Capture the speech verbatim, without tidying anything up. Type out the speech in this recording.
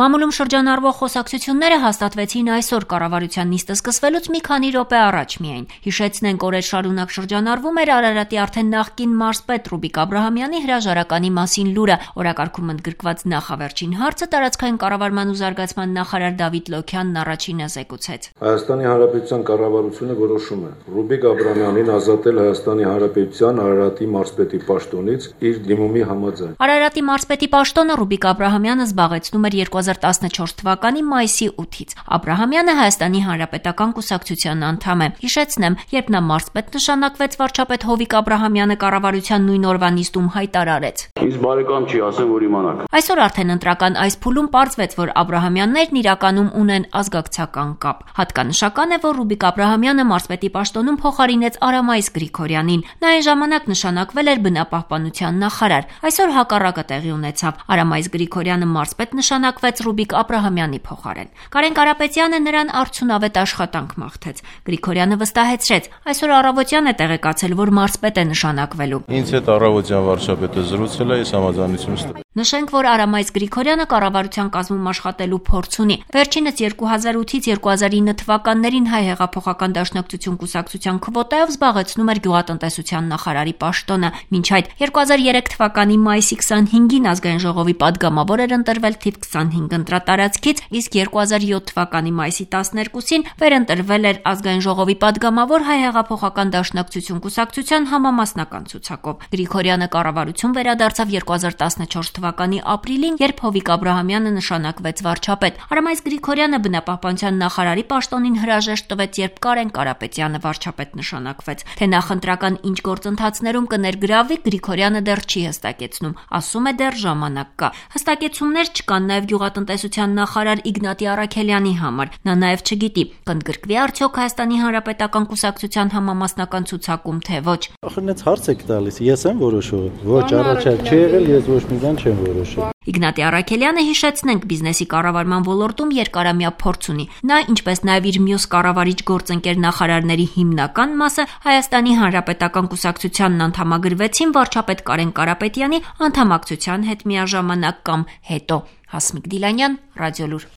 Մամուլում շրջանառվող խոսակցությունները հաստատվեցին այսօր կառավարության նիստը սկսվելուց մի քանի րոպե առաջ միայն։ Հիշեցնենք, օրեր շարունակ շրջանառվում էր Արարատի արդեն նախկին մարզպետ Ռուբիկ Աբրահամյանի հրաժարականի մասին լուրը։ Օրակարգում ընդգրկված նախավերջին հարցը տարածքային կառավարման ու զարգացման նախարար Դավիթ Լոքյանն առաջինը զեկուցեց։ Հայաստանի Հանրապետության կառավարությունը որոշում է Ռուբիկ Աբրահամյանին ազատել Հայաստանի Հանրապետության Արարատի մարզպետի պաշտոնից իր դիմումի համաձայն։ Արարատի մարզպետի պաշտոնը Ռուբիկ Աբրահամյանը զբաղեցնում էր երկու հազար տասնչորս թվականի մայիսի ութից։ Աբրահամյանը Հայաստանի Հանրապետական կուսակցության անդամ է։ Հիշեցնեմ, երբ նա մարզպետ նշանակվեց, վարչապետ Հովիկ Աբրահամյանը կառավարության նույն օրվա նիստում հայտարարեց. Ինձ բարեկամ չի, ասեմ, որ իմանաք։ Այսօր արդեն ընտրական այս փուլում պարզվեց, որ Աբրահամյաններն իրականում ունեն ազգակցական կապ։ Հատկանշական է, որ Ռուբիկ Աբրահամյանը մարզպետի պաշտոնում փոխարինեց Արամայիս Գրիգորյանին։ Նա այն ժամանակ նշանակվել էր բնապահպանության նախարար։ Այսօր հակառակը տեղի ունեցավ։ Արամայիս Գրիգորյանը մարզպետ նշանակվեց Ռուբիկ Աբրահամյանի փոխարեն։ Կարեն Կարապետյանը նրան արդյունավետ աշխատանք մաղթեց։ Գրիգորյանը վստահեցրեց, այսօր առավոտյան է տեղեկացել, որ մարզպետ է նշանակվելու։ Ինձ հետ առավոտյան վարչապետը զրուցել է, ես համաձայնություն ստացա։ Նշենք, որ Արամայիս Գրիգորյանը կառավարության կազմում աշխատելու փորձ ունի։ Վերջինս երկու հազար ութից երկու հազար ինը թվականներին Հայ հեղափոխական դաշնակցություն կուսակցության քվոտայով զբաղեցնում էր գյուղատնտեսության նախարարի պաշտոնը։ Մինչ այդ երկու հազար երեք թվականի մայիսի քսանհինգին ազգային ժողովի падգամավոր էր ընտրվել թիվ քսանհինգ ընտրատարածքից, իսկ երկու հազար յոթ թվականի մայիսի տասներկուսին վերընտրվել էր ազգային ժողովի падգամավոր Հայ հեղափոխական դաշնակցություն կուսակցության համամասնական ցուցակով։ Գրիգորյանը կառավարություն վերադարձավ երկու հազար տասնչորս թվականի ապրիլին, երբ Հովիկ Աբրահամյանը նշանակվեց վարչապետ։ Արամայիս Գրիգորյանը բնապահպանության նախարարի պաշտոնին հրաժեշտ տվեց, երբ Կարեն Կարապետյանը վարչապետ նշանակվեց։ Թե նախընտրական ինչ գործընթացներում կներգրավվի, Գրիգորյանը դեռ չի հստակեցնում, ասում է դեռ ժամանակ կա։ Հստակեցումներ չկան նաև գյուղատնտեսության նախարար Իգնատի Առաքելյանի համար։ Նա նաև չգիտի, կընդգրկվի արդյոք Հայաստանի Հանրապետական կուսակցության համամասնական ցուցակում, թե ոչ։ Ախր հենց հարց եք տալիս, ես եմ որոշում։ Ոչ, առաջարկ չի եղել, ես ոչ մի բան չեմ որոշել։ Իգնատի Առաքելյանը, հիշեցնենք, բիզնեսի կառավարման ոլորտում երկարամյա փորձ ունի։ Նա, ինչպես նաև իր մյուս կառավարիչ գործընկեր նախարարների հիմնական մասը Հայաստանի Հանրապետական կուսակցությանն անդամագրվեցին վարչապետ Կարեն Կարապետյանի անդամակցության հետ միաժամանակ կամ հետո։ Հասմիկ Դիլանյան, Ռադիոլուր։